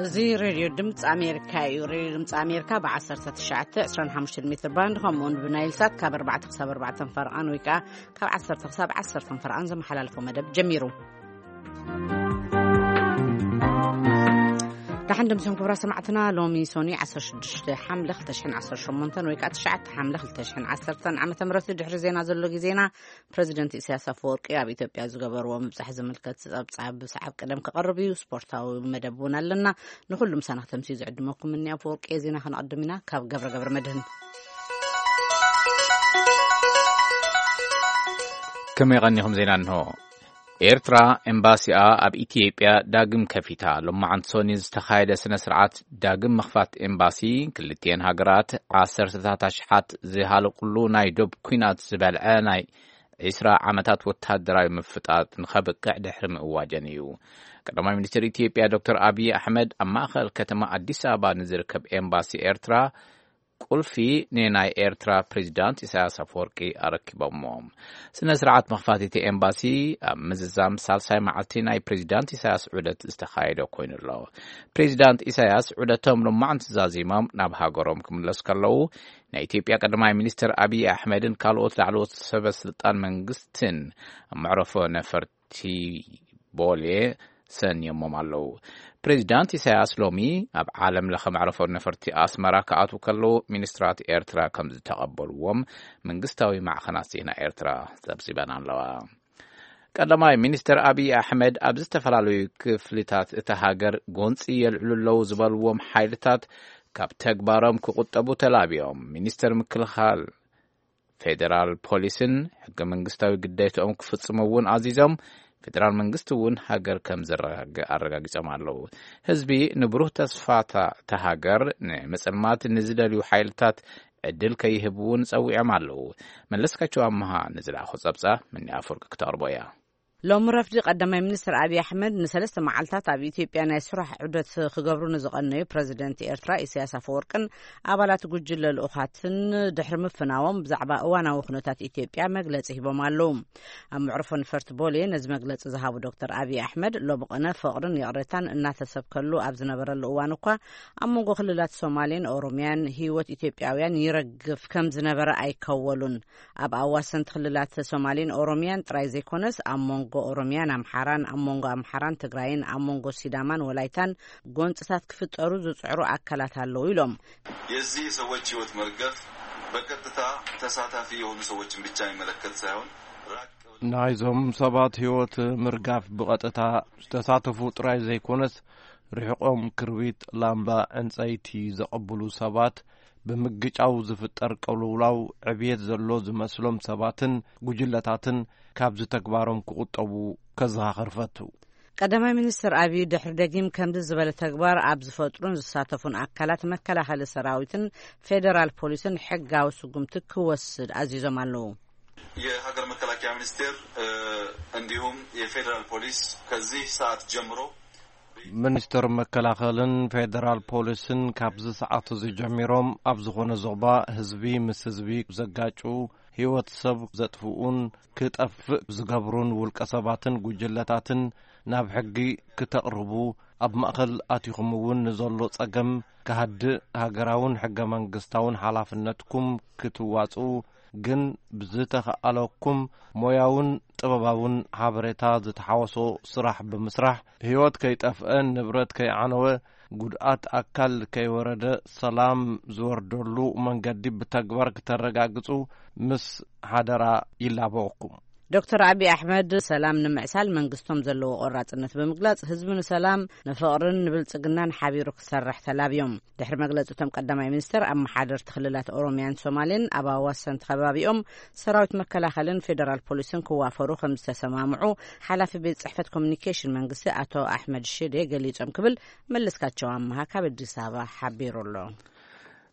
እዚ ሬድዮ ድምፂ ኣሜሪካ እዩ። ሬድዮ ድምፂ ኣሜሪካ ብ19፣ 25 ሜትር ባንድ፣ ከምኡውን ብናይል ሳት ካብ ኣርባዕተ ክሳብ ኣርባዕተ ፈረቓን ወይ ከዓ ካብ ዓሰርተ ክሳብ ዓሰርተ ፈረቓን ዘመሓላልፎ መደብ ጀሚሩ። ደሓን ደምሲኹም ክቡራት ሰማዕትና። ሎሚ ሶኒ 16 ሓምለ 2018 ወይ ከዓ 9 ሓምለ 2010 ዓመተ ምህረት። ድሕሪ ዜና ዘሎ ግዜና፣ ፕሬዚደንት ኢሳያስ ኣፈወርቂ ኣብ ኢትዮጵያ ዝገበርዎ ምብጻሕ ዝምልከት ጸብጻብ ብሰዓብ ቀደም ክቐርብ እዩ። ስፖርታዊ መደብ እውን ኣለና። ንኹሉ ምሳና ክተምስዩ ዝዕድመኩም እኒ ኣፈወርቂ። ዜና ከነቐድም ኢና። ካብ ገብረ ገብረ መድህን። ከመይ ቀኒኹም? ዜና እንሆ። ኤርትራ ኤምባሲኣ ኣብ ኢትዮጵያ ዳግም ከፊታ። ሎማዓንቲ ሶኒ ዝተኻየደ ስነ ስርዓት ዳግም ምኽፋት ኤምባሲ ክልቲኤን ሃገራት ዓሰርተታት ኣሽሓት ዝሃለቁሉ ናይ ዶብ ኲናት ዝበልዐ ናይ 20 ዓመታት ወታደራዊ ምፍጣጥ ንኸብቅዕ ድሕሪ ምእዋጀን እዩ። ቀዳማይ ሚኒስትር ኢትዮጵያ ዶክተር ኣብይ ኣሕመድ ኣብ ማእኸል ከተማ ኣዲስ ኣበባ ንዝርከብ ኤምባሲ ኤርትራ ቁልፊ ንናይ ኤርትራ ፕሬዚዳንት ኢሳያስ ኣፈወርቂ ኣረኪቦሞ። ስነ ስርዓት መኽፋት እቲ ኤምባሲ ኣብ ምዝዛም ሳልሳይ መዓልቲ ናይ ፕሬዚዳንት ኢሳያስ ዑደት ዝተኻየደ ኮይኑ ኣሎ። ፕሬዚዳንት ኢሳያስ ዑደቶም ሎማዕንቲ ዛዚሞም ናብ ሃገሮም ክምለሱ ከለዉ፣ ናይ ኢትዮጵያ ቀዳማይ ሚኒስትር ኣብይ ኣሕመድን ካልኦት ላዕለዎት ሰበ ስልጣን መንግስትን ኣብ መዕረፎ ነፈርቲ ቦሌ ሰንዮሞም ኣለዉ። ፕሬዚዳንት ኢሳያስ ሎሚ ኣብ ዓለም ለኸ መዕረፎ ነፈርቲ ኣስመራ ክኣትዉ ከለዉ፣ ሚኒስትራት ኤርትራ ከም ዝተቐበልዎም መንግስታዊ ማዕኸናት ዜና ኤርትራ ጸብጺበን ኣለዋ። ቀዳማይ ሚኒስትር ኣብይ ኣሕመድ ኣብ ዝተፈላለዩ ክፍልታት እታ ሃገር ጎንጺ የልዕሉ ኣለዉ ዝበልዎም ሓይልታት ካብ ተግባሮም ክቑጠቡ ተላብዮም። ሚኒስትር ምክልኻል ፌዴራል ፖሊስን ሕገ መንግስታዊ ግዴታኦም ክፍጽሙ እውን ኣዚዞም። ፌዴራል መንግስቲ እውን ሃገር ከም ዘረጋግእ ኣረጋጊጾም ኣለዉ። ህዝቢ ንብሩህ ተስፋታ እታ ሃገር ንምጽልማት ንዝደልዩ ሓይልታት ዕድል ከይህብ እውን ጸዊዖም ኣለዉ። መለስካቸው ኣመሃ ንዝለኣኾ ጸብጻብ ምኒ ኣፈወርቂ ክተቕርቦ እያ። ሎሚ ረፍዲ ቀዳማይ ሚኒስትር ኣብይ ኣሕመድ ንሰለስተ መዓልታት ኣብ ኢትዮጵያ ናይ ስራሕ ዑደት ክገብሩ ንዝቐነዩ ፕረዚደንት ኤርትራ ኢሳያስ ኣፈወርቅን ኣባላት ጉጅለ ልኡኻትን ድሕሪ ምፍናዎም ብዛዕባ እዋናዊ ኩነታት ኢትዮጵያ መግለጺ ሂቦም ኣለዉ። ኣብ መዕርፎ ነፈርቲ ቦሌ ነዚ መግለጺ ዝሃቡ ዶክተር ኣብይ ኣሕመድ፣ ሎሚ ቐነ ፍቕርን ይቕሬታን እናተሰብከሉ ኣብ ዝነበረሉ እዋን እኳ፣ ኣብ መንጎ ክልላት ሶማሌን ኦሮሚያን ህይወት ኢትዮጵያውያን ይረግፍ ከም ዝነበረ ኣይከወሉን። ኣብ ኣዋሰንቲ ክልላት ሶማሌን ኦሮሚያን ጥራይ ዘይኮነስ፣ ኣብ መንጎ ኦሮሚያን ኣምሓራን፣ ኣብ መንጎ ኣምሓራን ትግራይን፣ ኣብ መንጎ ሲዳማን ወላይታን ጎንጽታት ክፍጠሩ ዝጽዕሩ ኣካላት ኣለዉ ኢሎም። የዚህ የሰዎች ህይወት መርገፍ በቀጥታ ተሳታፊ የሆኑ ሰዎችን ብቻ የሚመለከት ሳይሆን፣ ራቅ ብለው ናይዞም ሰባት ህይወት ምርጋፍ ብቐጥታ ዝተሳተፉ ጥራይ ዘይኮነስ፣ ርሕቆም ክርቢት ላምባ ዕንጸይቲ ዘቐብሉ ሰባት፣ ብምግጫው ዝፍጠር ቅልውላው ዕብየት ዘሎ ዝመስሎም ሰባትን ጉጅለታትን ካብዚ ተግባሮም ክቑጠቡ ከዘኻኽር ፈቱ። ቀዳማይ ሚኒስትር ኣብይ ድሕሪ ደጊም ከምዚ ዝበለ ተግባር ኣብ ዝፈጥሩን ዝሳተፉን ኣካላት መከላኸሊ ሰራዊትን ፌደራል ፖሊስን ሕጋዊ ስጉምቲ ክወስድ ኣዚዞም ኣለዉ። የሀገር መከላከያ ሚኒስቴር፣ እ፣ እንዲሁም የፌዴራል ፖሊስ ከዚህ ሰዓት ጀምሮ ሚኒስትር መከላኸልን ፌደራል ፖሊስን ካብዚ ሰዓት እዚ ጀሚሮም ኣብ ዝኾነ ዞባ ህዝቢ ምስ ህዝቢ ዘጋጩ፣ ህይወት ሰብ ዘጥፍኡን ክጠፍእ ዝገብሩን ውልቀ ሰባትን ጉጅለታትን ናብ ሕጊ ክተቕርቡ፣ ኣብ ማእኸል ኣቲኹም እውን ንዘሎ ጸገም ክሃድእ ሃገራውን ሕገ መንግስታውን ሓላፍነትኩም ክትዋጽኡ፣ ግን ብዝተኸኣለኩም ሞያውን ጥበባውን ሓበሬታ ዝተሓወሶ ስራሕ ብምስራሕ፣ ህይወት ከይጠፍአን ንብረት ከይዓነወ፣ ጉድኣት ኣካል ከይወረደ፣ ሰላም ዝወርደሉ መንገዲ ብተግባር ክተረጋግጹ ምስ ሓደራ ይላበወኩም። ዶክተር ኣብይ ኣሕመድ ሰላም ንምዕሳል መንግስቶም ዘለዎ ቆራጽነት ብምግላጽ፣ ህዝቢ ንሰላም፣ ንፍቕርን ንብልጽግናን ሓቢሩ ክሰርሕ ተላብዮም። ድሕሪ መግለጺ እቶም ቀዳማይ ሚኒስትር፣ ኣመሓደርቲ ክልላት ኦሮሚያን ሶማሌን ኣብ ኣዋሰንቲ ከባቢኦም ሰራዊት መከላኸልን ፌደራል ፖሊስን ክዋፈሩ ከም ዝተሰማምዑ ሓላፊ ቤት ጽሕፈት ኮሚኒኬሽን መንግስቲ ኣቶ ኣሕመድ ሽዴ ገሊጾም ክብል መለስካቸው ኣመሃ ካብ ኣዲስ ኣበባ ሓቢሩ ኣሎ።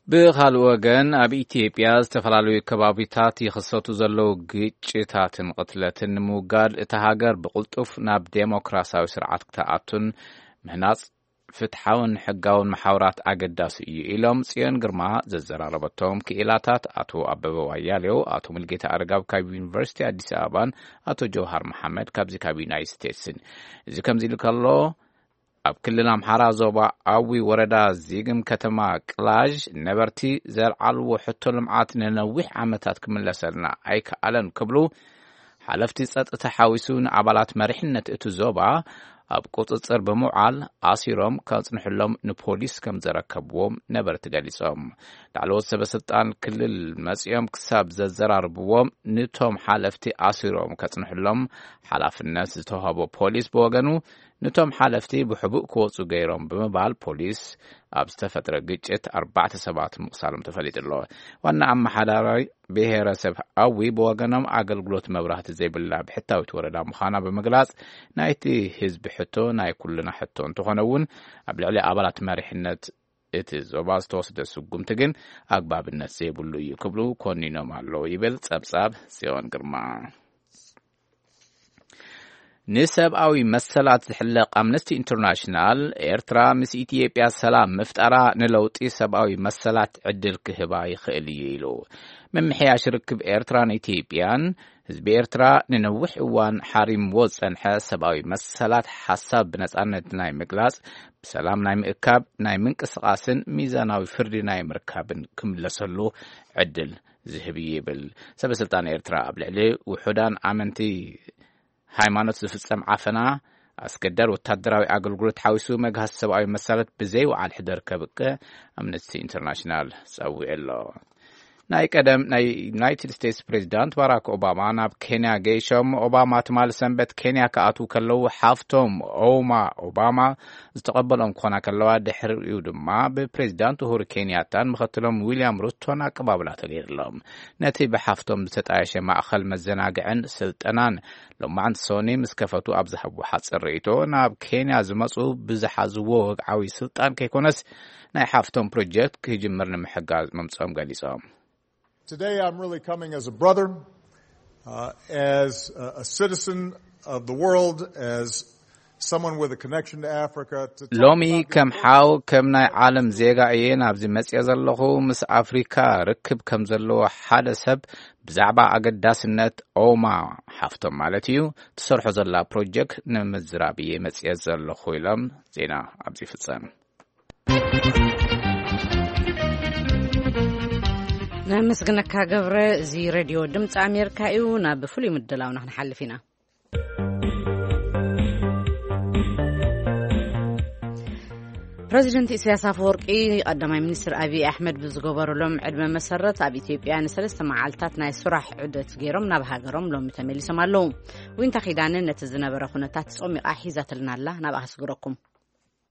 ብኻልእ ወገን፣ ኣብ ኢትዮጵያ ዝተፈላለዩ ከባቢታት ይኽሰቱ ዘለዉ ግጭታትን ቅትለትን ንምውጋድ እታ ሃገር ብቕልጡፍ ናብ ዴሞክራሲያዊ ስርዓት ክትኣቱን ምህናጽ ፍትሓውን ሕጋውን መሓውራት ኣገዳሲ እዩ ኢሎም ጽዮን ግርማ ዘዘራረበቶም ክኢላታት ኣቶ ኣበበ ዋያሌው፣ ኣቶ ሙልጌታ ኣረጋብ ካብ ዩኒቨርሲቲ ኣዲስ ኣበባን ኣቶ ጀውሃር መሓመድ ካብዚ ካብ ዩናይትድ ስቴትስን። እዚ ከምዚ ኢሉ ከሎ፣ ኣብ ክልል ኣምሓራ ዞባ ኣዊ ወረዳ ዚግም ከተማ ቅላዥ ነበርቲ ዘልዓልዎ ሕቶ ልምዓት ንነዊሕ ዓመታት ክምለሰልና ኣይከኣለን ክብሉ ሓለፍቲ ጸጥታ ሓዊሱ ንኣባላት መሪሕነት እቲ ዞባ ኣብ ቁጽጽር ብምውዓል ኣሲሮም ከጽንሕሎም ንፖሊስ ከም ዘረከብዎም ነበርቲ ገሊጾም። ላዕለዎት ሰበ ስልጣን ክልል መጺኦም ክሳብ ዘዘራርብዎም ንቶም ሓለፍቲ ኣሲሮም ከጽንሕሎም ሓላፍነት ዝተዋህቦ ፖሊስ ብወገኑ፣ ነቶም ሓለፍቲ ብሕቡእ ክወጹ ገይሮም ብምባል ፖሊስ ኣብ ዝተፈጥረ ግጭት ኣርባዕተ ሰባት ምቕሳሎም ተፈሊጡ ኣሎ። ዋና ኣመሓዳራይ ብሄረሰብ ኣዊ ብወገኖም ኣገልግሎት መብራህቲ ዘይብላ ብሕታዊት ወረዳ ምዃና ብምግላጽ፣ ናይቲ ህዝቢ ሕቶ ናይ ኩልና ሕቶ እንተኾነ እውን ኣብ ልዕሊ ኣባላት መሪሕነት እቲ ዞባ ዝተወስደ ስጉምቲ ግን ኣግባብነት ዘይብሉ እዩ ክብሉ ኮኒኖም ኣለዉ ይብል ጸብጻብ ጽዮን ግርማ። ንሰብኣዊ መሰላት ዝሕለቕ ኣምነስቲ ኢንተርናሽናል፣ ኤርትራ ምስ ኢትዮጵያ ሰላም ምፍጣራ ንለውጢ ሰብኣዊ መሰላት ዕድል ክህባ ይኽእል እዩ ኢሉ። ምምሕያሽ ርክብ ኤርትራን ኢትዮጵያን ህዝቢ ኤርትራ ንነዊሕ እዋን ሓሪምዎ ዝጸንሐ ሰብኣዊ መሰላት፣ ሓሳብ ብነጻነት ናይ ምግላጽ፣ ብሰላም ናይ ምእካብ፣ ናይ ምንቅስቓስን ሚዛናዊ ፍርዲ ናይ ምርካብን ክምለሰሉ ዕድል ዝህብ እዩ ይብል። ሰበ ስልጣን ኤርትራ ኣብ ልዕሊ ውሑዳን ኣመንቲ ሃይማኖት ዝፍጸም ዓፈና፣ ኣስገዳድ ወታደራዊ ኣገልግሎት ሓዊሱ መግሃስ ሰብኣዊ መሰላት ብዘይወዓል ሕደር ከብቅዕ ኣምነስቲ ኢንተርናሽናል ጸዊዑ ኣሎ። ናይ ቀደም ናይ ዩናይትድ ስቴትስ ፕሬዚዳንት ባራክ ኦባማ ናብ ኬንያ ገይሾም። ኦባማ ትማሊ ሰንበት ኬንያ ክኣትዉ ከለዉ ሓፍቶም ኦማ ኦባማ ዝተቐበሎም ክኾና ከለዋ፣ ድሕሪኡ ድማ ብፕሬዚዳንት ኡሁሩ ኬንያታን ምኽትሎም ዊልያም ሩቶን ኣቀባብላ ተገይርሎም። ነቲ ብሓፍቶም ዝተጣየሸ ማእኸል መዘናግዕን ስልጠናን ሎማዕንቲ ሶኒ ምስ ከፈቱ ኣብ ዝሃብዎ ሓፂር ርእይቶ፣ ናብ ኬንያ ዝመፁ ብዝሓዝዎ ወግዓዊ ስልጣን ከይኮነስ ናይ ሓፍቶም ፕሮጀክት ክጅምር ንምሕጋዝ ምምፅኦም ገሊፆም። Today I'm really coming as a brother, uh, as a, a citizen of the world, as someone with a connection to Africa. To talk ሎሚ about the ከም importance ሓው ከም ናይ ዓለም ዜጋ እየ ናብዚ መፅየ ዘለኹ። ምስ ኣፍሪካ ርክብ ከም ዘለዎ ሓደ ሰብ ብዛዕባ ኣገዳስነት ኦማ ሓፍቶም ማለት እዩ ትሰርሖ ዘላ ፕሮጀክት ንምዝራብ እየ መፅየ ዘለኹ ኢሎም። ዜና ኣብዚ ይፍፀም። ነመስግነካ ገብረ። እዚ ሬድዮ ድምፂ ኣሜሪካ እዩ። ናብ ፍሉይ ምድላውና ክንሓልፍ ኢና። ፕረዚደንት ኢሳያስ ኣፈወርቂ ቀዳማይ ሚኒስትር ኣብይ ኣሕመድ ብዝገበሩሎም ዕድመ መሰረት ኣብ ኢትዮጵያ ንሰለስተ መዓልታት ናይ ስራሕ ዑደት ገይሮም ናብ ሃገሮም ሎሚ ተመሊሶም ኣለዉ። ዊንታ ኪዳነ ነቲ ዝነበረ ኩነታት ጾሚቓ ሒዛትልና ኣላ። ናብኣ ከስግረኩም።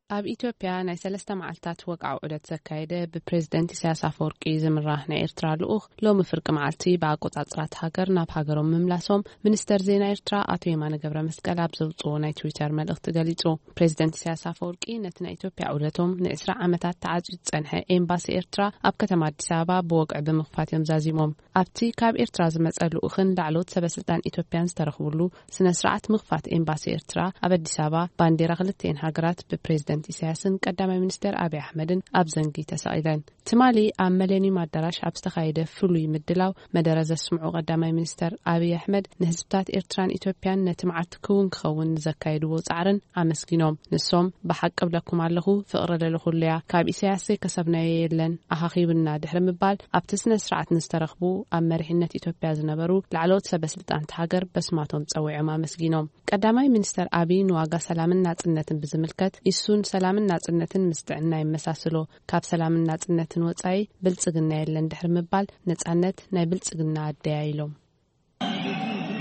ኣብ ኢትዮጵያ ናይ ሰለስተ መዓልታት ወግዓዊ ዑደት ዘካየደ ብፕሬዝደንት ኢሳያስ ኣፈወርቂ ዝምራሕ ናይ ኤርትራ ልኡኽ ሎሚ ፍርቂ መዓልቲ ብኣቆጻጽራት ሃገር ናብ ሃገሮም ምምላሶም ሚኒስተር ዜና ኤርትራ ኣቶ የማነ ገብረ መስቀል ኣብ ዘውጽኦ ናይ ትዊተር መልእኽቲ ገሊጹ። ፕሬዝደንት ኢሳያስ ኣፈወርቂ ነቲ ናይ ኢትዮጵያ ዑደቶም ንዕስራ ዓመታት ተዓጽዩ ዝጸንሐ ኤምባሲ ኤርትራ ኣብ ከተማ ኣዲስ ኣበባ ብወግዒ ብምኽፋት እዮም ዛዚሞም። ኣብቲ ካብ ኤርትራ ዝመጸ ልኡኽን ላዕለዎት ሰበስልጣን ኢትዮጵያን ዝተረኽብሉ ስነ ስርዓት ምኽፋት ኤምባሲ ኤርትራ ኣብ ኣዲስ ኣበባ ባንዴራ ክልቲኤን ሃገራት ብፕሬዝደንት ኢሳያስን ቀዳማይ ሚኒስተር ኣብይ ኣሕመድን ኣብ ዘንጊ ተሰቒለን። ትማሊ ኣብ መሌኒየም ኣዳራሽ ኣብ ዝተኻየደ ፍሉይ ምድላው መደረ ዘስምዑ ቀዳማይ ሚኒስተር ኣብይ ኣሕመድ ንህዝብታት ኤርትራን ኢትዮጵያን ነቲ መዓልቲ ክውን ክኸውን ንዘካየድዎ ጻዕርን ኣመስጊኖም። ንሶም ብሓቂ እብለኩም ኣለኹ ፍቕሪ ልዕሊ ኩሉ እያ። ካብ ኢሳያስ ዘይከሰብናዮ የለን። ኣኻኺብና ድሕሪ ምባል ኣብቲ ስነ ስርዓት ንዝተረኽቡ ኣብ መሪሕነት ኢትዮጵያ ዝነበሩ ላዕለዎት ሰበስልጣን እታ ሃገር በስማቶም ጸዊዖም ኣመስጊኖም። ቀዳማይ ሚኒስተር ኣብይ ንዋጋ ሰላምን ናጽነትን ብዝምልከት ኢሱን ሰላምን ናጽነትን ምስ ጥዕና ይመሳስሎ። ካብ ሰላምን ናጽነትን ወጻኢ ብልጽግና የለን ድሕሪ ምባል ነጻነት ናይ ብልጽግና ኣደያ ኢሎም።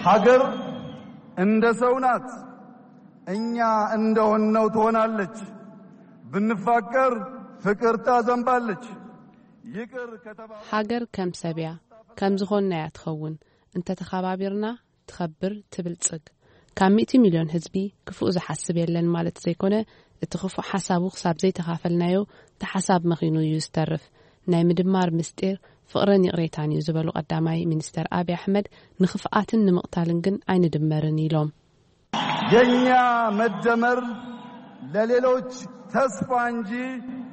ሀገር እንደ ሰው ናት። እኛ እንደሆነው ትሆናለች። ብንፋቀር ፍቅር ታዘንባለች። ይቅር ከተባባልን ሃገር ከም ሰብ እያ፣ ከም ዝኾንናያ ትኸውን። እንተተኸባቢርና ትኸብር፣ ትብልጽግ። ካብ ሚእቲ ሚልዮን ህዝቢ ክፉእ ዝሓስብ የለን ማለት ዘይኮነ፣ እቲ ክፉእ ሓሳቡ ክሳብ ዘይተኻፈልናዮ እቲ ሓሳብ መኺኑ እዩ ዝተርፍ። ናይ ምድማር ምስጢር ፍቕርን ይቕሬታን እዩ ዝበሉ ቀዳማይ ሚኒስተር ኣብይ ኣሕመድ፣ ንኽፍኣትን ንምቕታልን ግን ኣይንድመርን ኢሎም። የኛ መደመር ለሌሎች ተስፋ እንጂ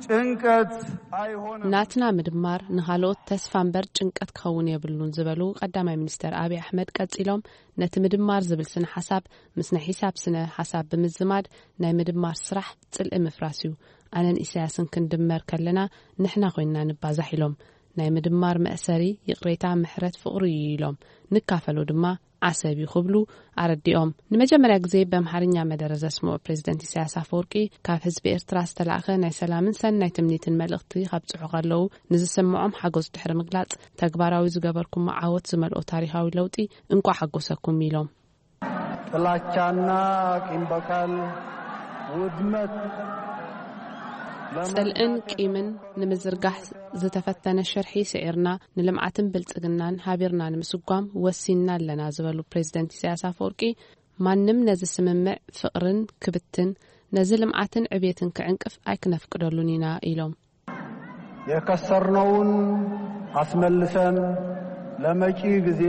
ጭንቀት ኣይሆንም። ናትና ምድማር ንኻልኦት ተስፋ እምበር ጭንቀት ክኸውን የብሉን ዝበሉ ቀዳማይ ሚኒስተር ኣብይ ኣሕመድ ቀጺሎም፣ ነቲ ምድማር ዝብል ስነ ሓሳብ ምስ ናይ ሒሳብ ስነ ሓሳብ ብምዝማድ ናይ ምድማር ስራሕ ጽልኢ ምፍራስ እዩ። ኣነን ኢሳያስን ክንድመር ከለና ንሕና ኮይንና ንባዛሕ ኢሎም። ናይ ምድማር መእሰሪ ይቕሬታ፣ ምሕረት፣ ፍቕሪ እዩ ኢሎም። ንካፈሎ ድማ ዓሰብ እዩ ክብሉ ኣረዲኦም። ንመጀመርያ ግዜ ብኣምሓርኛ መደረ ዘስምዑ ፕሬዚደንት ኢሳያስ ኣፈወርቂ፣ ካብ ህዝቢ ኤርትራ ዝተላእኸ ናይ ሰላምን ሰናይ ትምኒትን መልእኽቲ ከብጽሑ ከለዉ ንዝስምዖም ሓጎስ ድሕሪ ምግላጽ፣ ተግባራዊ ዝገበርኩሞ ዓወት ዝመልኦ ታሪኻዊ ለውጢ፣ እንቋዕ ሓጎሰኩም ኢሎም። ጥላቻና ቂም በቀል፣ ውድመት፣ ጽልእን ቂምን ንምዝርጋሕ ዝተፈተነ ሽርሒ ስዒርና፣ ንልምዓትን ብልጽግናን ሃቢርና ንምስጓም ወሲንና ኣለና ዝበሉ ፕሬዚደንት ኢሳያስ ኣፈወርቂ፣ ማንም ነዚ ስምምዕ ፍቕርን ክብትን፣ ነዚ ልምዓትን ዕብየትን ክዕንቅፍ ኣይክነፍቅደሉን ኢና ኢሎም። የከሰርነውን ኣስመልሰን ለመጪ ግዜ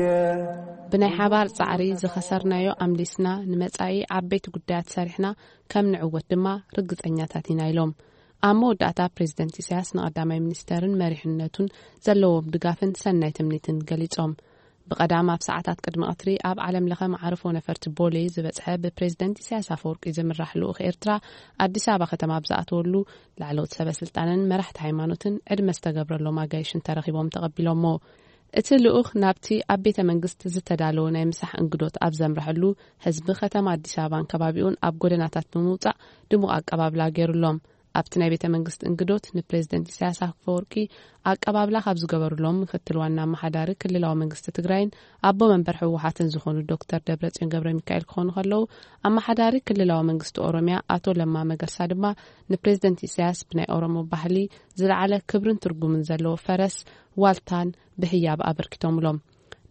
ብናይ ሓባር ጻዕሪ ዝኸሰርናዮ ኣምሊስና፣ ንመጻኢ ዓበይቲ ጉዳያት ሰሪሕና ከም ንዕወት ድማ ርግጸኛታት ኢና ኢሎም። ኣብ መወዳእታ ፕሬዚደንት ኢሳያስ ንቐዳማይ ሚኒስተርን መሪሕነቱን ዘለዎም ድጋፍን ሰናይ ትምኒትን ገሊጾም። ብቐዳም ኣብ ሰዓታት ቅድሚ ቀትሪ ኣብ ዓለም ለኸ መዓርፎ ነፈርቲ ቦሌ ዝበጽሐ ብፕሬዚደንት ኢሳያስ ኣፈወርቂ ዝምራሕ ልኡኽ ኤርትራ ኣዲስ ኣበባ ከተማ ኣብ ዝኣተወሉ ላዕለዎት ሰበ ስልጣንን መራሕቲ ሃይማኖትን ዕድመ ዝተገብረሎም ኣጋይሽን ተረኺቦም ተቐቢሎሞ። እቲ ልኡኽ ናብቲ ኣብ ቤተ መንግስቲ ዝተዳለወ ናይ ምሳሕ እንግዶት ኣብ ዘምረሐሉ ህዝቢ ከተማ ኣዲስ ኣበባን ከባቢኡን ኣብ ጎደናታት ብምውጻእ ድሙቕ ኣቀባብላ ገይሩሎም። ኣብቲ ናይ ቤተ መንግስቲ እንግዶት ንፕሬዚደንት ኢሳያስ ኣፈወርቂ ኣቀባብላ ካብ ዝገበሩሎም ምክትል ዋና ኣመሓዳሪ ክልላዊ መንግስቲ ትግራይን ኣቦ መንበር ህወሓትን ዝኾኑ ዶክተር ደብረጽዮን ገብረ ሚካኤል ክኾኑ ከለዉ፣ ኣመሓዳሪ ክልላዊ መንግስቲ ኦሮሚያ ኣቶ ለማ መገርሳ ድማ ንፕሬዚደንት ኢሳያስ ብናይ ኦሮሞ ባህሊ ዝለዓለ ክብርን ትርጉምን ዘለዎ ፈረስ ዋልታን ብህያብ ኣበርኪቶምሎም።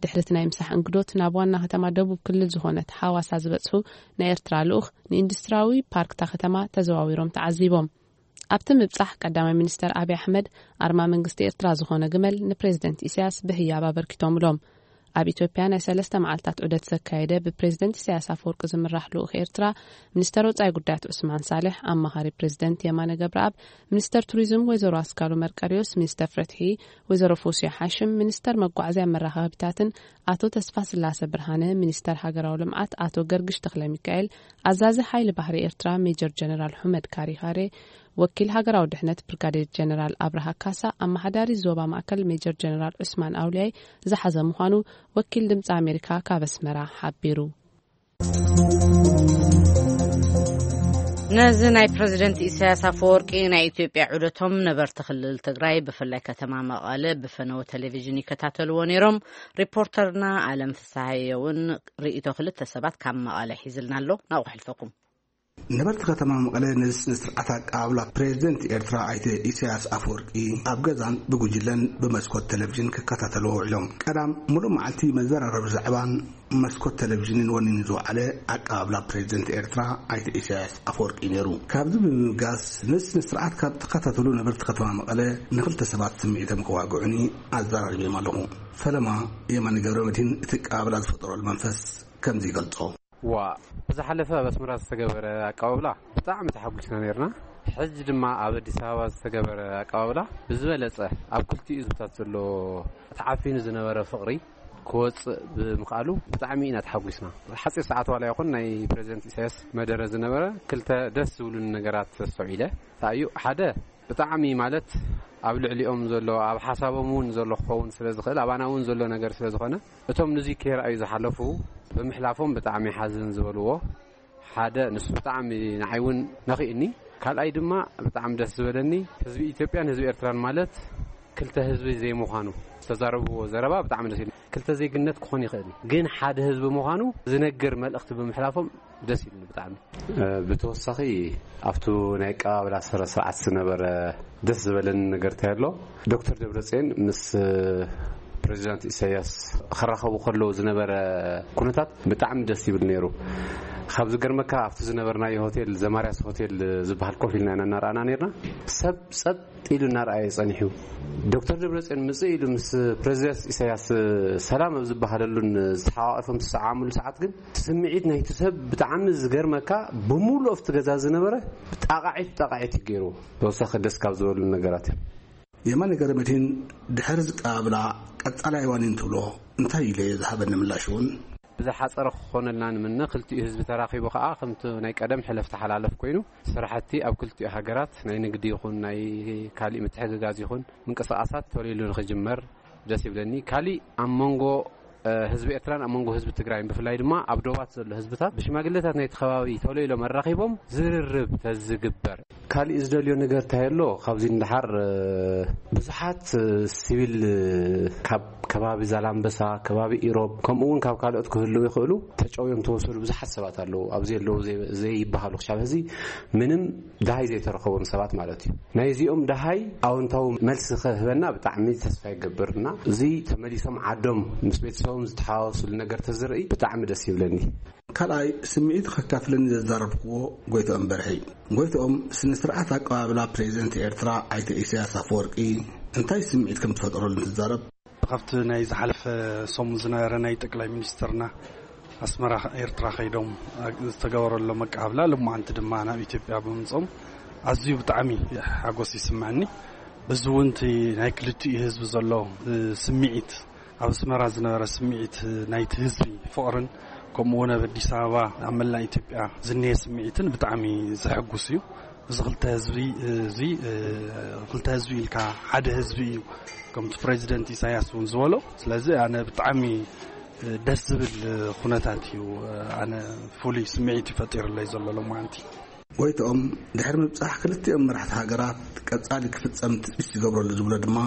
ድሕሪ እቲ ናይ ምሳሕ እንግዶት ናብ ዋና ከተማ ደቡብ ክልል ዝኾነት ሓዋሳ ዝበጽሑ ናይ ኤርትራ ልኡኽ ንኢንዱስትሪያዊ ፓርክታ ከተማ ተዘዋዊሮም ተዓዚቦም። ኣብቲ ምብጻሕ ቀዳማይ ሚኒስተር ኣብይ ኣሕመድ ኣርማ መንግስቲ ኤርትራ ዝኾነ ግመል ንፕሬዚደንት ኢሳያስ ብህያብ ኣበርኪቶምሎም። ኣብ ኢትዮጵያ ናይ ሰለስተ መዓልታት ዑደት ዘካየደ ብፕሬዚደንት ኢሳያስ ኣፈወርቂ ዝምራሕ ልኡኽ ኤርትራ፣ ሚኒስተር ወጻኢ ጉዳያት ዑስማን ሳልሕ፣ ኣማኻሪ ፕሬዚደንት የማነ ገብረኣብ፣ ሚኒስተር ቱሪዝም ወይዘሮ ኣስካሉ መርቀሪዮስ፣ ሚኒስተር ፍትሒ ወይዘሮ ፎሲያ ሓሽም፣ ሚኒስተር መጓዓዝያ መራኸቢታትን ኣቶ ተስፋ ስላሰ ብርሃነ፣ ሚኒስተር ሃገራዊ ልምዓት ኣቶ ገርግሽ ተኽለ ሚካኤል፣ ኣዛዚ ሓይሊ ባሕሪ ኤርትራ ሜጀር ጀነራል ሑመድ ካሪኻሬ፣ ወኪል ሃገራዊ ድሕነት ብርጋዴር ጀነራል ኣብርሃ ካሳ፣ ኣመሓዳሪ ዞባ ማእከል ሜጀር ጀነራል ዑስማን ኣውልያይ ዝሓዘ ምዃኑ ወኪል ድምፂ ኣሜሪካ ካብ ኣስመራ ሓቢሩ። ነዚ ናይ ፕረዚደንት ኢሳያስ ኣፈወርቂ ናይ ኢትዮጵያ ዑደቶም ነበርቲ ክልል ትግራይ ብፍላይ ከተማ መቐለ ብፈነወ ቴሌቪዥን ይከታተልዎ ነይሮም። ሪፖርተርና ኣለም ፍስሃየ እውን ርእይቶ ክልተ ሰባት ካብ መቐለ ሒዝልና ኣሎ። ናብኡ ከሕልፈኩም። ነበርቲ ከተማ መቐለ ነዚ ስነ ስርዓት ኣቀባብላ ፕሬዚደንት ኤርትራ ኣይተ ኢሳያስ ኣፈወርቂ ኣብ ገዛን ብጉጅለን ብመስኮት ቴሌቪዥን ክከታተልዎ ውዒሎም። ቀዳም ሙሉእ መዓልቲ መዘራረቢ ዛዕባን መስኮት ቴሌቪዥንን ወኒኑ ዝወዓለ ኣቀባብላ ፕሬዚደንት ኤርትራ ኣይተ ኢሳያስ ኣፈወርቂ ነይሩ። ካብዚ ብምብጋስ ነዚ ስነ ስርዓት ካብ ተኸታተሉ ነበርቲ ከተማ መቐለ ንክልተ ሰባት ስምዒቶም ከዋግዑኒ ኣዘራሪበዮም ኣለኹ። ፈለማ የማነ ገብረ መድህን እቲ ኣቀባብላ ዝፈጠረሉ መንፈስ ከምዚ ይገልጾ። ዋ፣ ብዝሓለፈ ኣብ ኣስመራ ዝተገበረ ኣቀባብላ ብጣዕሚ ተሓጒስና ነይርና። ሕጂ ድማ ኣብ ኣዲስ ኣበባ ዝተገበረ ኣቀባብላ ብዝበለጸ ኣብ ክልቲኡ ህዝብታት ዘሎ ተዓፊኑ ዝነበረ ፍቕሪ ክወጽእ ብምኽኣሉ ብጣዕሚ ኢና ተሓጒስና። ሓጺር ሰዓት ዋላ ይኹን ናይ ፕረዚደንት ኢሳያስ መደረ ዝነበረ ክልተ ደስ ዝብሉኒ ነገራት ኣስተውዒለ። እንታይ እዩ? ሓደ ብጣዕሚ ማለት ኣብ ልዕሊኦም ዘሎ፣ ኣብ ሓሳቦም እውን ዘሎ ክኸውን ስለ ዝኽእል፣ ኣባና እውን ዘሎ ነገር ስለ ዝኾነ፣ እቶም ንዙይ ከይረኣዩ ዝሓለፉ ብምሕላፎም ብጣዕሚ ሓዝን ዝበልዎ ሓደ ንሱ ብጣዕሚ ንዓይ እውን ነኺእኒ። ካልኣይ ድማ ብጣዕሚ ደስ ዝበለኒ ህዝቢ ኢትዮጵያን ህዝቢ ኤርትራን ማለት ክልተ ህዝቢ ዘይምዃኑ ዝተዛረብዎ ዘረባ ብጣዕሚ ደስ ኢሉ። ክልተ ዜግነት ክኾን ይኽእል እዩ፣ ግን ሓደ ህዝቢ ምዃኑ ዝነግር መልእኽቲ ብምሕላፎም ደስ ኢሉኒ ብጣዕሚ። እ፣ ብተወሳኺ ኣብቱ ናይ ኣቀባብላ ስነ ስርዓት ዝነበረ ደስ ዝበለኒ ነገር እንታይ ኣሎ፣ ዶክተር ደብረጽዮን ምስ፣ እ፣ ፕሬዚዳንት ኢሳያስ ክራኸቡ ከለዉ ዝነበረ ኩነታት ብጣዕሚ ደስ ይብል ነይሩ። ካብ ዝገርመካ ኣብቲ ዝነበርናዮ ሆቴል፣ ዘማርያስ ሆቴል ዝበሃል ኮፍ ኢልና ኢና እናረኣና ነርና። ሰብ ጸጥ ኢሉ እናረኣየ ጸኒሑ። ዶክተር ደብረጽዮን ምጽእ ኢሉ ምስ ፕሬዚደንት ኢሳያስ ሰላም ኣብ ዝበሃለሉን ዝተሓቋቐፎም ዝሰዓሙሉ ሰዓት ግን እቲ ስምዒት ናይቲ ሰብ ብጣዕሚ ዝገርመካ፣ ብምሉእ ኣብቲ ገዛ ዝነበረ ጣቓዒት ጣቓዒት እዩ ገይርዎ። ተወሳኺ ደስ ካብ ዝበሉ ነገራት እዮም። የማነ ገረመቴን ድሕሪ ዝቀባብላ ቀጻላይ ዋኒን ትብሎ እንታይ ኢለ ዝሃበኒ ምላሽ እውን ብዝሓጸረ ክኾነልና ንምነ። ክልቲኡ ህዝቢ ተራኺቡ ከኣ ከምቲ ናይ ቀደም ሕለፍ ተሓላለፍ ኮይኑ ስራሕቲ ኣብ ክልቲኡ ሃገራት ናይ ንግዲ ይኹን ናይ ካሊእ ምትሕግጋዝ ይኹን ምንቅስቓሳት ተወሊሉ ንኽጅመር ደስ ይብለኒ። ካሊእ ኣብ መንጎ ህዝቢ ኤርትራን ኣብ መንጎ ህዝቢ ትግራይን ብፍላይ ድማ ኣብ ዶባት ዘሎ ህዝብታት ብሽማግሌታት ናይቲ ከባቢ ተወሊሎም ኣራኺቦም ዝርርብ ተዝግበር። ካሊእ ዝደልዮ ነገር እንታይ ኣሎ? ካብዚ ንደሓር ብዙሓት ሲቪል ካብ ከባቢ ዛላምበሳ፣ ከባቢ ኢሮብ፣ ከምኡ እውን ካብ ካልኦት ክህልዉ ይኽእሉ ተጨውዮም ተወሰዱ ብዙሓት ሰባት ኣለዉ። ኣብዚ ኣለዉ ዘይበሃሉ ክሻብ ሕዚ ምንም ደሃይ ዘይተረኸቦም ሰባት ማለት እዩ። ናይዚኦም ደሃይ ኣወንታዊ መልሲ ክህበና ብጣዕሚ ተስፋ ይገብር እና እዚ ተመሊሶም ዓዶም ምስ ቤተሰቦም ዝተሓዋወስሉ ነገር ተዝርኢ ብጣዕሚ ደስ ይብለኒ። ካልኣይ ስምዒት ከካፍለኒ ዘዛረብክዎ ጎይትኦም በርሀይ። ጎይትኦም ስነ ስርዓት ኣቀባብላ ፕሬዚደንት ኤርትራ ኣይተ ኢሳያስ ኣፈወርቂ እንታይ ስምዒት ከም ትፈጠረሉ እንትዛረብ ካብቲ ናይ ዝሓለፈ ሰሙን ዝነበረ ናይ ጠቅላይ ሚኒስትርና ኣስመራ ኤርትራ ከይዶም ዝተገበረሎም ኣቀባብላ ልማዓንቲ ድማ ናብ ኢትዮጵያ ብምምጾም ኣዝዩ ብጣዕሚ ሓጎስ ይስምዐኒ። በዚ እውን እቲ ናይ ክልቲኡ ህዝቢ ዘሎ ስምዒት ኣብ ኣስመራ ዝነበረ ስምዒት ናይቲ ህዝቢ ፍቕርን ከምኡ እውን ኣብ ኣዲስ ኣበባ ኣብ መላእ ኢትዮጵያ ዝንሄ ስምዒትን ብጣዕሚ ዘሐጉስ እዩ። እዚ ክልተ ህዝቢ እዚ ክልተ ህዝቢ ኢልካ ሓደ ህዝቢ እዩ ከምቲ ፕሬዚደንት ኢሳያስ እውን ዝበሎ። ስለዚ ኣነ ብጣዕሚ ደስ ዝብል ኩነታት እዩ ኣነ ፍሉይ ስምዒት እዩ ፈጢሩለይ ዘሎ ሎማዓንቲ። ጎይትኦም ድሕሪ ምብጻሕ ክልቲኦም መራሕቲ ሃገራት ቀጻሊ ክፍጸም ትጽቢት ዝገብረሉ ዝብሎ ድማ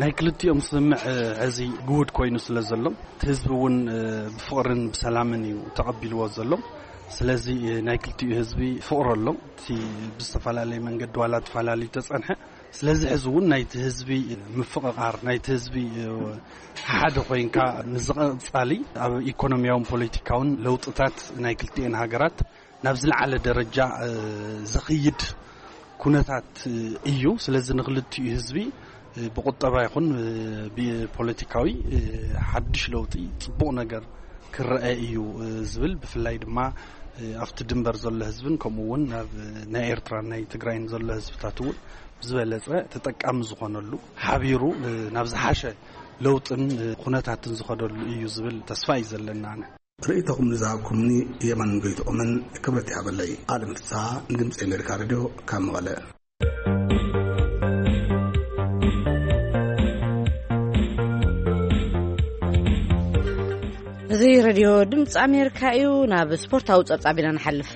ናይ ክልቲኦም ስምምዕ ሕዚ ግሁድ ኮይኑ ስለ ዘሎ እቲ ህዝቢ እውን ብፍቕርን ብሰላምን እዩ ተቐቢልዎ ዘሎ። ስለዚ ናይ ክልቲኡ ህዝቢ ፍቕሪ ኣሎ። እቲ ብዝተፈላለየ መንገዲ ዋላ ተፈላለዩ ተጸንሐ። ስለዚ ሕዚ እውን ናይቲ ህዝቢ ምፍቕቓር ናይቲ ህዝቢ ሓደ ኮይንካ ንዝቐጻሊ ኣብ ኢኮኖሚያውን ፖለቲካውን ለውጥታት ናይ ክልቲኤን ሃገራት ናብ ዝለዓለ ደረጃ ዘኽይድ ኩነታት እዩ። ስለዚ ንክልቲኡ ህዝቢ ብቁጠባ ይኹን ብፖለቲካዊ ሓድሽ ለውጢ ጽቡቕ ነገር ክረአ እዩ ዝብል ብፍላይ ድማ ኣብቲ ድንበር ዘሎ ህዝብን ከምኡ እውን ኣብ ናይ ኤርትራን ናይ ትግራይን ዘሎ ህዝብታት እውን ብዝበለጸ ተጠቃሚ ዝኾነሉ ሓቢሩ ናብ ዝሓሸ ለውጥን ኩነታትን ዝኸደሉ እዩ ዝብል ተስፋ እዩ ዘለና። ኣነ ርእይቶኹም ንዝሃብኩምኒ የማንን ጎይትኦምን ክብረት ይሃበለይ። ኣለም ፍስሃ ንድምፂ ኣሜሪካ ሬድዮ ካብ መቐለ። እዚ ሬድዮ ድምፂ ኣሜሪካ እዩ። ናብ ስፖርታዊ ፀብፃብ ኢና ንሓልፍ።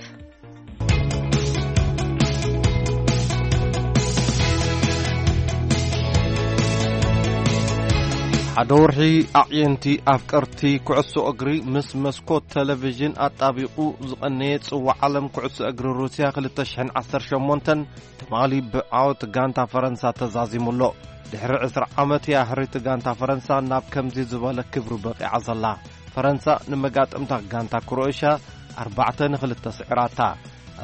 ሓደ ወርሒ ኣዕየንቲ ኣፍቀርቲ ኩዕሶ እግሪ ምስ መስኮት ቴሌቪዥን ኣጣቢቑ ዝቐነየ ጽዋዕ ዓለም ኩዕሶ እግሪ ሩስያ ክልተ ሽሕን ዓሰርተ ሸሞንተን ትማሊ ብዓወት ጋንታ ፈረንሳ ተዛዚሙ ኣሎ። ድሕሪ ዕስራ ዓመት እያ ሕርይቲ ጋንታ ፈረንሳ ናብ ከምዚ ዝበለ ክብሪ በቒዓ ዘላ። ፈረንሳ ንመጋጥምታ ጋንታ ክሮኤሽያ ኣርባዕተ ንኽልተ ስዒራታ።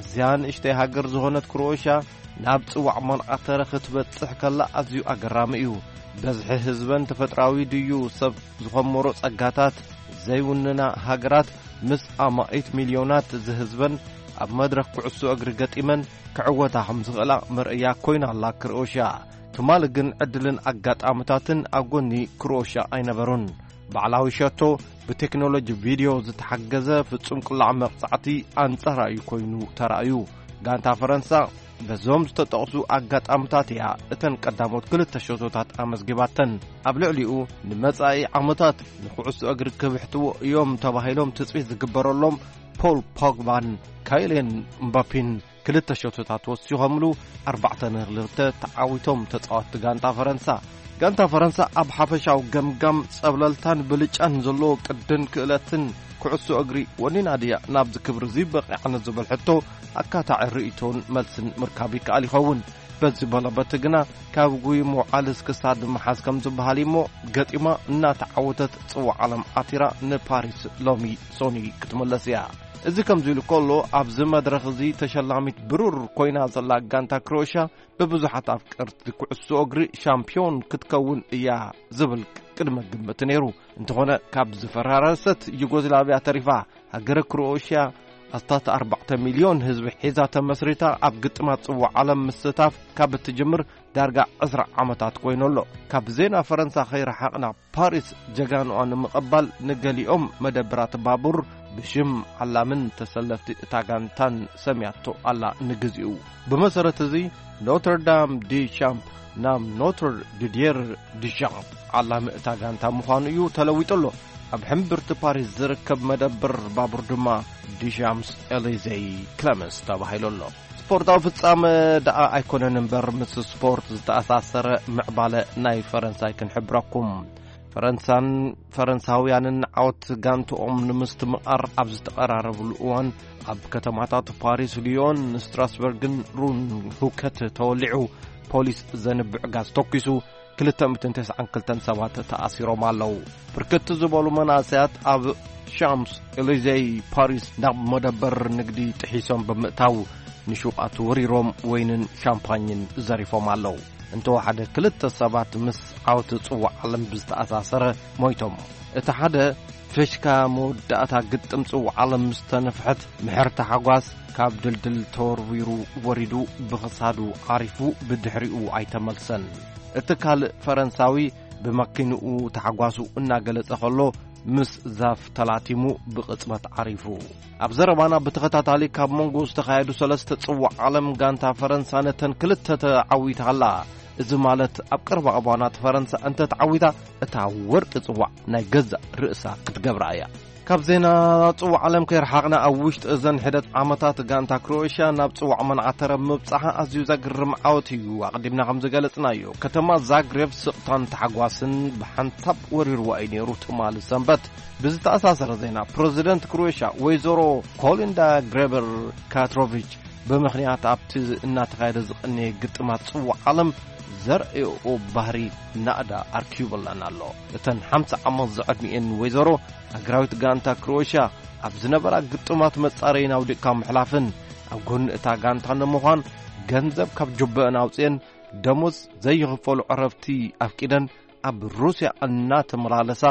ኣዝያ ንእሽተይ ሃገር ዝኾነት ክሮኤሽያ ናብ ጽዋዕ ማንቃተረ ክትበጽሕ ከላ ኣዝዩ ኣገራሚ እዩ። በዝሒ ህዝበን ተፈጥራዊ ድዩ ሰብ ዝኸመሮ ጸጋታት ዘይውንና ሃገራት ምስ ኣማኢት ሚልዮናት ዝህዝበን ኣብ መድረኽ ኩዕሶ እግሪ ገጢመን ክዕወታ ከም ዝኽእላ መርኣያ ኮይና ኣላ ክሮኤሽያ። ትማሊ ግን ዕድልን ኣጋጣምታትን ኣብ ጎኒ ክሮኤሽያ ኣይነበሩን። ባዕላዊ ሸቶ ብቴክኖሎጂ ቪድዮ ዝተሓገዘ ፍጹም ቅላዕ መቕጻዕቲ ኣንጻራ እዩ ኮይኑ ተራእዩ። ጋንታ ፈረንሳ በዞም ዝተጠቕሱ ኣጋጣምታት እያ እተን ቀዳሞት ክልተ ሸቶታት ኣመዝጊባተን። ኣብ ልዕሊኡ ንመጻኢ ዓመታት ንኩዕሶ እግሪ ክብሕትዎ እዮም ተባሂሎም ትጽቢት ዝግበረሎም ፖል ፖግባን ካይልየን ምባፒን ክልተ ሸቶታት ወሲኾምሉ ኣርባዕተ ንክልተ ተዓዊቶም ተጻወትቲ ጋንታ ፈረንሳ። ጋንታ ፈረንሳ ኣብ ሓፈሻዊ ገምጋም ጸብለልታን ብልጫን ዘለዎ ቅድን ክእለትን ኩዕሶ እግሪ ወኒና ድያ ናብዚ ክብሪ እዚ በቒዓ ንዝብል ሕቶ ኣካታዒ ርእይቶን መልስን ምርካብ ይከኣል ይኸውን። በዚ በለበቲ ግና ካብ ጉይሞ ዓልስ ክሳድ ምሓዝ ከም ዝበሃል እሞ ገጢማ እናተዓወተት ጽዋዕ ዓለም ዓቲራ ንፓሪስ ሎሚ ሶኒ ክትምለስ እያ። እዚ ከምዚ ኢሉ ከሎ ኣብዚ መድረኽ እዚ ተሸላሚት ብሩር ኮይና ዘላ ጋንታ ክሮኤሽያ ብብዙሓት ኣፍቀርቲ ኩዕሶ እግሪ ሻምፒዮን ክትከውን እያ ዝብል ቅድመ ግምት ነይሩ። እንተኾነ ካብ ዝፈራረሰት ዩጎዝላቪያ ተሪፋ ሃገረ ክሮኤሽያ ኣስታት ኣርባዕተ ሚልዮን ህዝቢ ሒዛ ተመስሪታ ኣብ ግጥማት ጽዋዕ ዓለም ምስታፍ ካብ እትጅምር ዳርጋ ዕስራ ዓመታት ኮይኑ ኣሎ። ካብ ዜና ፈረንሳ ከይረሓቕና ፓሪስ ጀጋኑኣ ንምቕባል ንገሊኦም መደብራት ባቡር ብሽም ዓላምን ተሰለፍቲ እታ ጋንታን ሰምያቶ ኣላ። ንግዚኡ ብመሰረት እዚ ኖትርዳም ዲ ሻምፕ ናብ ኖትር ዲድየር ዲሻምፕ ዓላሚ እታ ጋንታ ምዃኑ እዩ ተለዊጡ ኣሎ። ኣብ ሕምብርቲ ፓሪስ ዝርከብ መደብር ባቡር ድማ ዲሻምስ ኤሊዜይ ክለመንስ ተባሂሉ ኣሎ። ስፖርታዊ ፍጻመ ደኣ ኣይኮነን እምበር ምስ ስፖርት ዝተኣሳሰረ ምዕባለ ናይ ፈረንሳይ ክንሕብረኩም። ፈረንሳን ፈረንሳውያንን ዓወት ጋንትኦም ንምስትምቓር ኣብ ዝተቐራረብሉ እዋን ኣብ ከተማታት ፓሪስ፣ ሊዮን፣ ስትራስበርግን ሩን ሁከት ተወሊዑ። ፖሊስ ዘንብዕ ጋዝ ተኪሱ ክልተ ሚእትን ተስዓን ክልተን ሰባት ተኣሲሮም ኣለዉ። ብርክት ዝበሉ መናእሰያት ኣብ ሻምስ ኤሊዜይ ፓሪስ ናብ መደበር ንግዲ ጥሒሶም ብምእታው ንሹቓት ወሪሮም ወይንን ሻምፓኝን ዘሪፎም ኣለዉ። እንተወሓደ ክልተ ሰባት ምስ ዓወት ጽዋዕ ዓለም ብዝተኣሳሰረ ሞይቶም። እቲ ሓደ ፍሽካ መወዳእታ ግጥም ጽዋዕ ዓለም ምስ ተነፍሐት ምሕርቲ ሓጓስ ካብ ድልድል ተወርዊሩ ወሪዱ ብኽሳዱ ዓሪፉ ብድሕሪኡ ኣይተመልሰን። እቲ ካልእ ፈረንሳዊ ብመኪንኡ ታሕጓሱ እናገለጸ ከሎ ምስ ዛፍ ተላቲሙ ብቕጽበት ዓሪፉ። ኣብ ዘረባና ብተኸታታሊ ካብ መንጎ ዝተኻየዱ ሰለስተ ጽዋዕ ዓለም ጋንታ ፈረንሳ ነተን ክልተ ተዓዊታ ኣላ። እዚ ማለት ኣብ ቀረባ እዋናት ፈረንሳ እንተ ተዓዊታ እታ ወርቂ ጽዋዕ ናይ ገዛእ ርእሳ ክትገብራ እያ። ካብ ዜና ጽዋዕ ዓለም ከይረሓቕና ኣብ ውሽጢ እዘን ሕደት ዓመታት ጋንታ ክሮኤሽያ ናብ ጽዋዕ መንዓተረ ምብጻሓ ኣዝዩ ዘግርም ዓወት እዩ። ኣቕዲምና ከም ዝገለጽናዮ ከተማ ዛግሬብ ስቕታን ታሕጓስን ብሓንሳብ ወሪርዋ እዩ ነይሩ። ትማሊ ሰንበት ብዝተኣሳሰረ ዜና ፕረዚደንት ክሮኤሽያ ወይዘሮ ኮሊንዳ ግሬበር ካትሮቪች ብምኽንያት ኣብቲ እናተኻየደ ዝቐነየ ግጥማት ጽዋዕ ዓለም ዘርእኦ ባህሪ ናእዳ ኣርኪቡላን ኣሎ። እተን ሓምሳ ዓመት ዝዕድሚኤን ወይዘሮ ሃገራዊት ጋንታ ክሮኤሽያ ኣብ ዝነበራ ግጥማት መጻረይን ኣውዲቕካ ምሕላፍን ኣብ ጎኒ እታ ጋንታ ንምዃን ገንዘብ ካብ ጁበአን ኣውጽኤን ደሞዝ ዘይኽፈሉ ዕረፍቲ ኣፍቂደን ኣብ ሩስያ እናተመላለሳ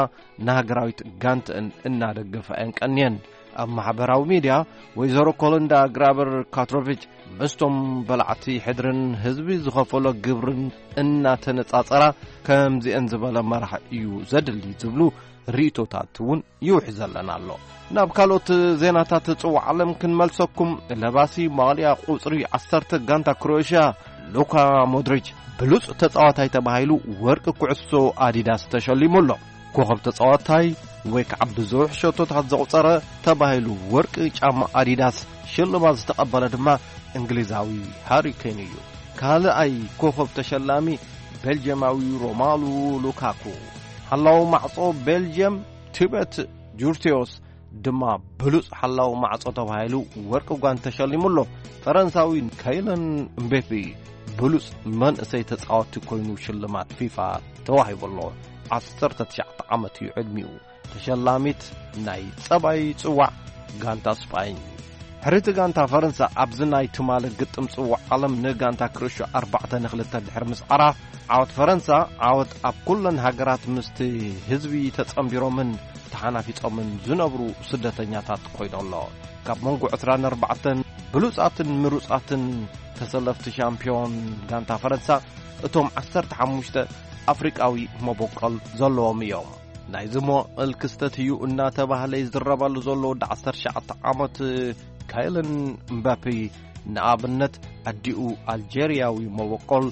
ንሃገራዊት ጋንተአን እናደገፋ እየን ቀንየን። ኣብ ማሕበራዊ ሚድያ ወይዘሮ ኮሎንዳ ግራበር ካትሮቪች ምስቶም በላዕቲ ሕድርን ህዝቢ ዝኸፈሎ ግብርን እናተነጻጸራ ከምዚአን ዝበለ መራሕ እዩ ዘድሊ ዝብሉ ርእይቶታት እውን ይውሕዘለን ኣሎ። ናብ ካልኦት ዜናታት ጽዋዕ ዓለም ክንመልሰኩም። ለባሲ ማልያ ቁጽሪ ዓሰርተ ጋንታ ክሮኤሽያ ሉካ ሞድሪች ብሉጽ ተጻዋታይ ተባሂሉ ወርቂ ኩዕሶ ኣዲዳስ ተሸሊሙ ኣሎ። ኮኸብ ተጻዋታይ ወይ ከዓ ብዙሕ ሸቶታት ዘቑጸረ ተባሂሉ ወርቂ ጫማ ኣዲዳስ ሽልማት ዝተቐበለ ድማ እንግሊዛዊ ሃሪ ኬን እዩ። ካልኣይ ኮኸብ ተሸላሚ ቤልጅየማዊ ሮማሉ ሉካኩ። ሓላው ማዕጾ ቤልጅየም ቲቤት ጁርቴዎስ ድማ ብሉጽ ሓላው ማዕጾ ተባሂሉ ወርቂ ጓንት ተሸሊሙ ኣሎ። ፈረንሳዊ ከይለን እምቤፔ ብሉጽ መንእሰይ ተጻወቲ ኮይኑ ሽልማት ፊፋ ተዋሂቡ ኣሎ። ዓሰርተ ትሽዓተ ዓመት እዩ ዕድሚኡ። ተሸላሚት ናይ ጸባይ ጽዋዕ ጋንታ ስጳኝ። ሕርይቲ ጋንታ ፈረንሳ ኣብዚ ናይ ትማሊ ግጥም ጽዋዕ ዓለም ንጋንታ ክርሾ ኣርባዕተ ንክልተ ድሕሪ ምስዓራ፣ ዓወት ፈረንሳ ዓወት ኣብ ኩለን ሃገራት ምስቲ ህዝቢ ተጸንቢሮምን ተሓናፊጾምን ዝነብሩ ስደተኛታት ኮይኑ ኣሎ። ካብ መንጎ ዕስራን ኣርባዕተን ብሉጻትን ምሩጻትን ተሰለፍቲ ሻምፒዮን ጋንታ ፈረንሳ እቶም ዓሰርተ ሓሙሽተ ኣፍሪቃዊ መበቆል ዘለዎም እዮም። ናይዚ መዋእል ክስተት እዩ እናተባህለ ይዝረበሉ ዘሎ ወዲ ዓሰርተ ትሽዓተ ዓመት ካይለን እምባፔ ንኣብነት ኣዲኡ ኣልጀርያዊ መበቆል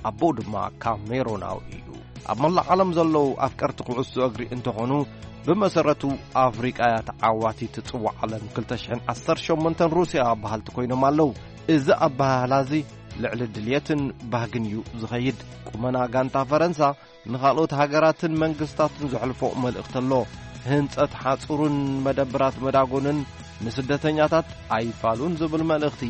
ኣቦኡ ድማ ካሜሮናዊ እዩ። ኣብ መላእ ዓለም ዘለዉ ኣፍቀርቲ ኩዕሶ እግሪ እንተኾኑ ብመሰረቱ ኣፍሪቃ እያ ተዓዋቲት ጽዋዕ ዓለም ክልተ ሽሕን ዓሰርተ ሸሞንተን ሩስያ በሃልቲ ኮይኖም ኣለዉ። እዚ ኣበሃህላ እዚ ልዕሊ ድልየትን ባህግን እዩ ዝኸይድ። ቁመና ጋንታ ፈረንሳ ንኻልኦት ሃገራትን መንግስታትን ዘሕልፎ መልእኽቲ ኣሎ። ህንጸት ሓጹርን መደብራት መዳጎንን ንስደተኛታት ኣይፋሉን ዝብል መልእኽቲ።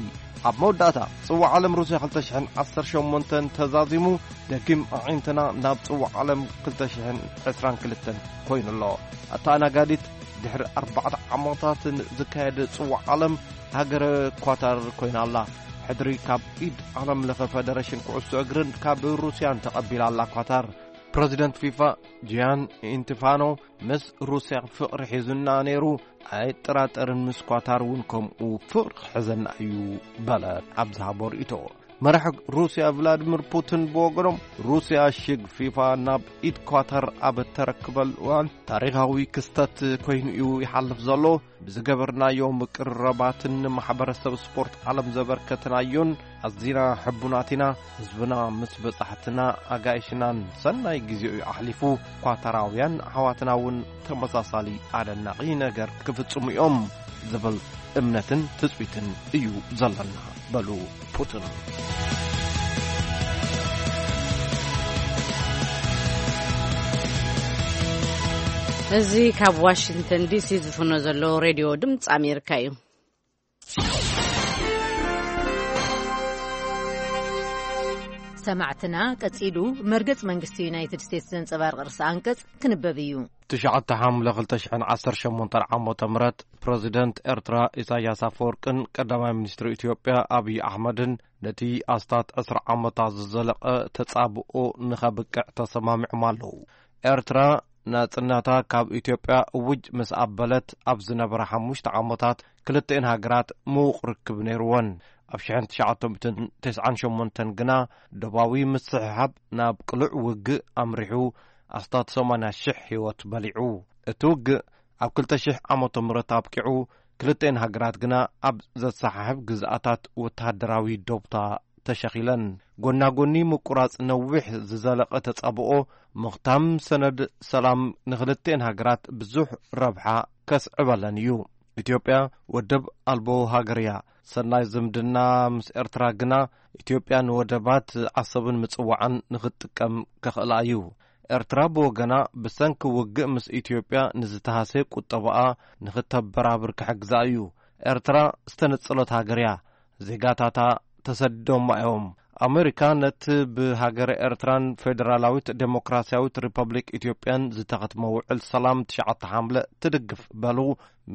ኣብ መወዳእታ፣ ጽዋዕ ዓለም ሩስያ ክልተ ሽሕን ዓሰርተ ሸሞንተን ተዛዚሙ፣ ደጊም ኣዒንትና ናብ ጽዋዕ ዓለም ክልተ ሽሕን ዕስራን ክልተን ኮይኑ ኣሎ። ኣተኣናጋዲት ድሕሪ ኣርባዕተ ዓመታትን ዝካየድ ጽዋዕ ዓለም ሃገረ ኳታር ኮይና ኣላ። ሕድሪ ካብ ኢድ ዓለም ለኸ ፈደረሽን ኩዕሶ እግርን ካብ ሩስያን ተቐቢላ ኣላ ኳታር። ፕረዚደንት ፊፋ ጂያን ኢንቲፋኖ፣ ምስ ሩስያ ፍቕሪ ሒዙና ነይሩ፣ ኣይጠራጠርን፣ ምስ ኳታር እውን ከምኡ ፍቕሪ ክሕዘና እዩ በለ ኣብ ዝሃቦ ርእይቶ። መራሒ ሩስያ ቭላድሚር ፑቲን ብወገኖም፣ ሩስያ ሽግ ፊፋ ናብ ኢድ ኳታር ኣብ እተረክበሉ እዋን ታሪኻዊ ክስተት ኮይኑ እዩ ይሓልፍ ዘሎ። ብዝገበርናዮ ምቅርራባትን ንማሕበረሰብ ስፖርት ዓለም ዘበርከትናዮን ኣዚና ሕቡናት ኢና። ህዝብና ምስ በጻሕትና ኣጋይሽናን ሰናይ ግዜኡ ኣሕሊፉ። ኳታራውያን ኣሕዋትና እውን ተመሳሳሊ ኣደናቒ ነገር ክፍጽሙ እዮም ዝብል እምነትን ትጽቢትን እዩ ዘለና በሉ ፑቲን። እዚ ካብ ዋሽንግተን ዲሲ ዝፍኖ ዘሎ ሬድዮ ድምፂ ኣሜሪካ እዩ። ሰማዕትና፣ ቀጺሉ መርገጽ መንግስቲ ዩናይትድ ስቴትስ ዘንጸባርቕ ርእሰ ኣንቀጽ ክንበብ እዩ። ትሽዓተ ሓምለ ክልተ ሽሕን ዓሰርተ ሸሞንተን ዓመተ ምህረት፣ ፕረዚደንት ኤርትራ ኢሳያስ ኣፈወርቅን ቀዳማይ ሚኒስትር ኢትዮጵያ ኣብይ ኣሕመድን ነቲ ኣስታት ዕስራ ዓመታት ዝዘለቐ ተጻብኦ ንኸብቅዕ ተሰማሚዖም ኣለዉ። ኤርትራ ናጽነታ ካብ ኢትዮጵያ እውጅ ምስ ኣበለት ኣብ ዝነበራ ሓሙሽተ ዓመታት ክልቲኤን ሃገራት ምዉቕ ርክብ ነይርወን። ኣብ ሽሕን ትሽዓተ ሚእትን ተስዓን ሸሞንተን ግና ዶባዊ ምስሕሓብ ናብ ቅሉዕ ውግእ ኣምሪሑ ኣስታት ሰማንያ ሽሕ ህይወት በሊዑ። እቲ ውግእ ኣብ ክልተ ሽሕ ዓመተ ምህረት ኣብቂዑ፣ ክልቲኤን ሃገራት ግና ኣብ ዘሰሓሕብ ግዝኣታት ወተሃደራዊ ዶብታ ተሸኺለን። ጎና ጎኒ ምቁራጽ ነዊሕ ዝዘለቐ ተጻብኦ፣ ምኽታም ሰነድ ሰላም ንኽልቲኤን ሃገራት ብዙሕ ረብሓ ከስዕበለን እዩ። ኢትዮጵያ ወደብ ኣልቦ ሃገር እያ። ሰናይ ዝምድና ምስ ኤርትራ ግና፣ ኢትዮጵያ ንወደባት ዓሰብን ምጽዋዕን ንኽትጥቀም ከኽእላ እዩ። ኤርትራ ብወገና፣ ብሰንኪ ውግእ ምስ ኢትዮጵያ ንዝተሃስየ ቁጠባኣ ንኽተበራብር ክሕግዛ እዩ። ኤርትራ ዝተነጸለት ሃገር እያ። ዜጋታታ ተሰዲዶማ እዮም። ኣመሪካ ነቲ ብሃገረ ኤርትራን ፌደራላዊት ዴሞክራስያዊት ሪፐብሊክ ኢትዮጵያን ዝተኸትመ ውዕል ሰላም ትሽዓተ ሓምለ ትድግፍ በሉ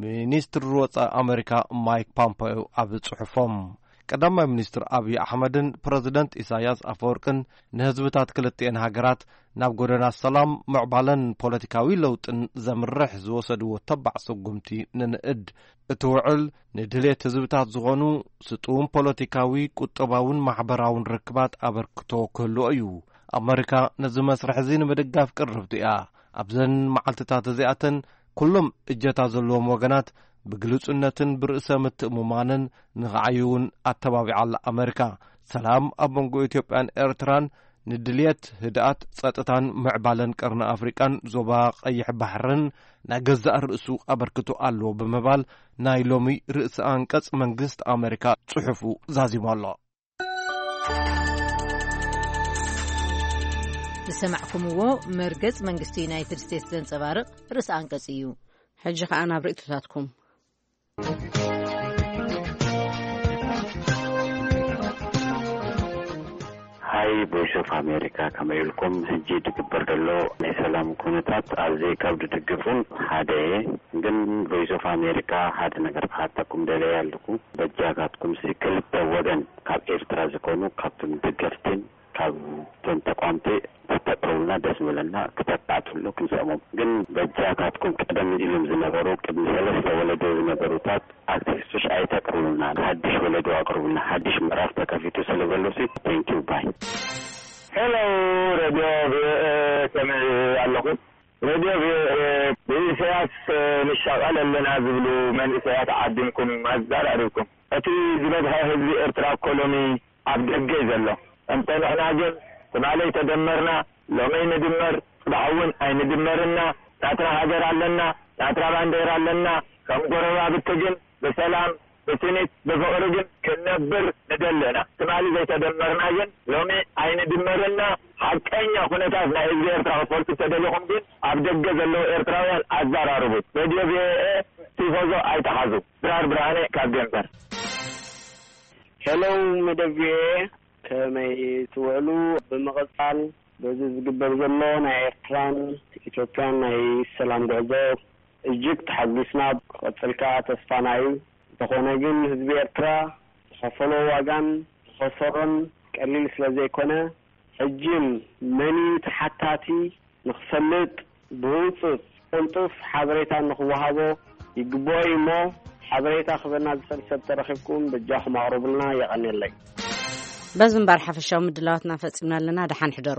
ሚኒስትሪ ወጻኢ ኣመሪካ ማይክ ፖምፔዮ ኣብ ጽሑፎም። ቀዳማይ ሚኒስትር ኣብይ ኣሕመድን ፕረዚደንት ኢሳያስ ኣፈወርቅን ንህዝብታት ክልቲኤን ሃገራት ናብ ጎደና ሰላም፣ ምዕባለን ፖለቲካዊ ለውጥን ዘምርሕ ዝወሰድዎ ተባዕ ስጉምቲ ንንእድ። እቲ ውዕል ንድሌት ህዝብታት ዝኾኑ ስጡም ፖለቲካዊ፣ ቁጠባውን ማሕበራውን ርክባት ኣበርክቶ ክህልዎ እዩ። ኣመሪካ ነዚ መስርሕ እዚ ንምድጋፍ ቅርብቲ እያ። ኣብዘን መዓልትታት እዚኣተን ኩሎም እጀታ ዘለዎም ወገናት ብግሉጽነትን ብርእሰ ምትእምማንን ንኽዓዩ እውን ኣተባቢዓ ኣላ ኣመሪካ። ሰላም ኣብ መንጎ ኢትዮጵያን ኤርትራን ንድልየት ህድኣት፣ ጸጥታን ምዕባለን ቀርኒ ኣፍሪቃን ዞባ ቀይሕ ባሕርን ናይ ገዛእ ርእሱ ኣበርክቶ ኣለዎ ብምባል ናይ ሎሚ ርእሰ ኣንቀጽ መንግስቲ ኣመሪካ ጽሑፉ ዛዚሙ ኣሎ። ዝሰማዕኩምዎ መርገጽ መንግስቲ ዩናይትድ ስቴትስ ዘንጸባርቕ ርእሰ ኣንቀጽ እዩ። ሕጂ ኸኣ ናብ ርእይቶታትኩም። ሃይ ቮይስ ኦፍ ኣሜሪካ፣ ከመይ ኢልኩም? ሕጂ ዝግበር ዘሎ ናይ ሰላም ኩነታት ኣዝየ ካብ ዝድግፉን ሓደ እየ። ግን ቮይስ ኦፍ ኣሜሪካ ሓደ ነገር ክሓተኩም ደለየ ኣለኩ። በጃካትኩም ሲ ክልተ ወገን ካብ ኤርትራ ዝኾኑ ካብቶም ደገፍትን ካብ እቶም ተቋምቲ ክተቅርቡልና ደስ ምበለና፣ ክተካትሉ ክንሰሞም። ግን በጃካትኩም ቀደም ኢሎም ዝነበሩ ቅድሚ ሰለስተ ወለዶ ዝነበሩታት ኣክቲቪስቶች ኣይተቅርቡልና፣ ሓድሽ ወለዶ ኣቅርቡልና፣ ሓድሽ ምዕራፍ ተከፊቱ ስለ ዘሎ ሲ። ቴንኪዩ ባይ። ሄሎ ሬድዮ ቪኦኤ፣ ከመይ ኣለኹም? ሬድዮ ቪኦኤ፣ ብኢሳያስ ንሻቐል ኣለና ዝብሉ መንእሰያት ዓዲምኩም ኣዘራሪብኩም። እቲ ዝበዝሐ ህዝቢ ኤርትራ እኮ ሎሚ ኣብ ደገ እዩ ዘሎ። እንተ ንሕና ግን ትማሊ ተደመርና፣ ሎሚ ንድመር፣ ጽባሕ እውን ኣይንድመርና። ናትና ሃገር ኣለና፣ ናትና ባንዴራ ኣለና። ከም ጎረባብቲ ግን ብሰላም ብስኒት፣ ብፍቕሪ ግን ክንነብር ንደሊ ኢና። ትማሊ ዘይተደመርና ግን ሎሚ ኣይንድመርና። ሓቀኛ ኩነታት ናይ ህዝቢ ኤርትራ ክትፈልጡ ተደሊኹም ግን ኣብ ደገ ዘለዉ ኤርትራውያን ኣዘራርቡ። ሬድዮ ቪኦኤ ቲፎዞ ኣይትሓዙ። ድራር ብርሃነ ካብ ዴንቨር። ሄሎ መደብ ቪኦኤ፣ ከመይ ትውዕሉ? ብምቕጻል በዚ ዝግበር ዘሎ ናይ ኤርትራን ኢትዮጵያን ናይ ሰላም ጉዕዞ እጅግ ተሓጒስና፣ ክቐጽል ከኣ ተስፋና እዩ። እንተኾነ ግን ህዝቢ ኤርትራ ዝኸፈሎ ዋጋን ዝኸሰሮን ቀሊል ስለ ዘይኮነ፣ ሕጂን መን እዩ ተሓታቲ ንኽፈልጥ ብህጹጽ ቅልጡፍ ሓበሬታ ንኽወሃቦ ይግብኦ እዩ እሞ፣ ሓበሬታ ክበና ዝኽእል ሰብ ተረኺብኩም በጃኹም ኣቕርቡልና። የቐንየለይ። በዚ እምበር ሓፈሻዊ ምድላዋትና ፈጺምና ኣለና። ደሓን ሕደሩ።